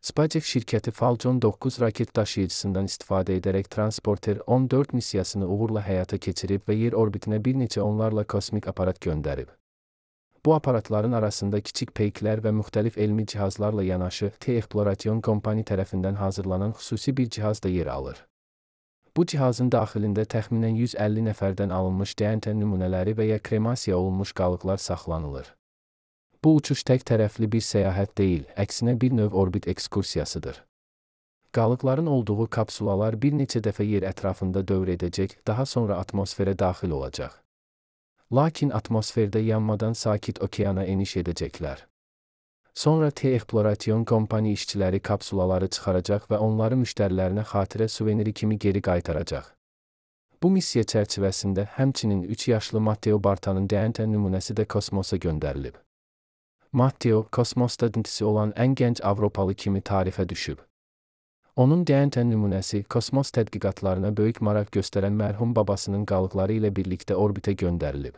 SpaceX şirkəti Falcon 9 raket daşıyıcısından istifadə edərək Transporter 14 missiyasını uğurla həyata keçirib və yer orbitinə bir neçə onlarla kosmik aparat göndərib. Bu aparatların arasında kiçik peyklər və müxtəlif elmi cihazlarla yanaşı T-Exploration Company tərəfindən hazırlanan xüsusi bir cihaz da yer alır. Bu cihazın daxilində təxminən 150 nəfərdən alınmış DNT nümunələri və ya kremasiya olunmuş qalıqlar saxlanılır. Bu uçuş tək tərəfli bir səyahət deyil, əksinə bir növ orbit ekskursiyasıdır. Qalıqların olduğu kapsulalar bir neçə dəfə yer ətrafında dövr edəcək, daha sonra atmosferə daxil olacaq. Lakin atmosferdə yanmadan sakit okeana eniş edəcəklər. Sonra T-Exploration Company işçiləri kapsulaları çıxaracaq və onları müştərilərinə xatirə suveniri kimi geri qaytaracaq. Bu missiya çərçivəsində həmçinin 3 yaşlı Matteo Bartanın DNT nümunəsi də kosmosa göndərilib. Matteo, kosmosda dintisi olan ən gənc Avropalı kimi tarixə düşüb. Onun DNT nümunəsi kosmos tədqiqatlarına böyük maraq göstərən mərhum babasının qalıqları ilə birlikdə orbitə göndərilib.